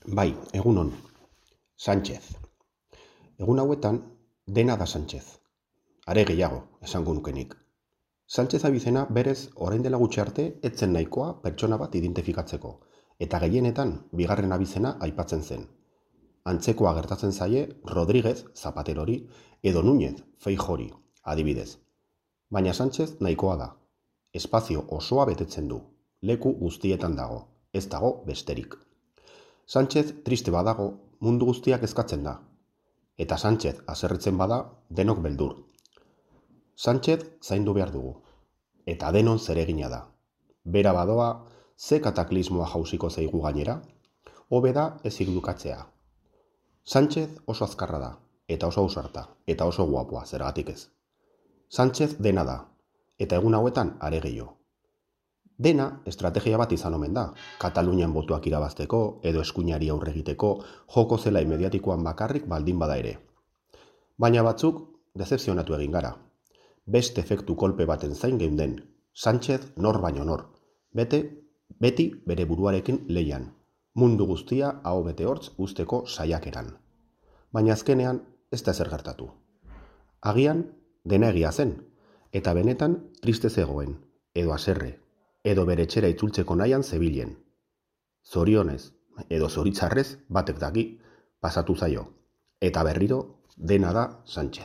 Bai, egunon, Sánchez. Egun hauetan, dena da Sánchez. Are gehiago, esango nukenik. Sánchez abizena berez orain dela gutxi arte etzen nahikoa pertsona bat identifikatzeko, eta gehienetan bigarren abizena aipatzen zen. Antzekoa gertatzen zaie Rodríguez Zapaterori edo Núñez Feijori, adibidez. Baina Sánchez nahikoa da. Espazio osoa betetzen du. Leku guztietan dago, ez dago besterik. Sánchez triste badago, mundu guztiak eskatzen da. Eta Sánchez haserretzen bada, denok beldur. Sánchez zaindu behar dugu. Eta denon zeregina da. Bera badoa, ze kataklismoa jausiko zaigu gainera, hobe da ez irdukatzea. Sánchez oso azkarra da, eta oso ausarta, eta oso guapoa, zergatik ez. Sánchez dena da, eta egun hauetan are gehiago. Dena estrategia bat izan omen da, Katalunian botuak irabazteko edo eskuinari aurre egiteko joko zelai mediatikoan bakarrik baldin bada ere. Baina batzuk dezepzionatu egin gara. Beste efektu kolpe baten zain geunden, Sánchez nor baino nor, beti bere buruarekin leian, mundu guztia aho bete hortz usteko saiakeran. Baina azkenean ez da ezer gertatu. Agian dena egia zen, eta benetan triste zegoen, edo haserre, edo bere etxera itzultzeko nahian zebilen. Zorionez, edo zoritzarrez batek daki pasatu zaio, eta berriro dena da Sánchez.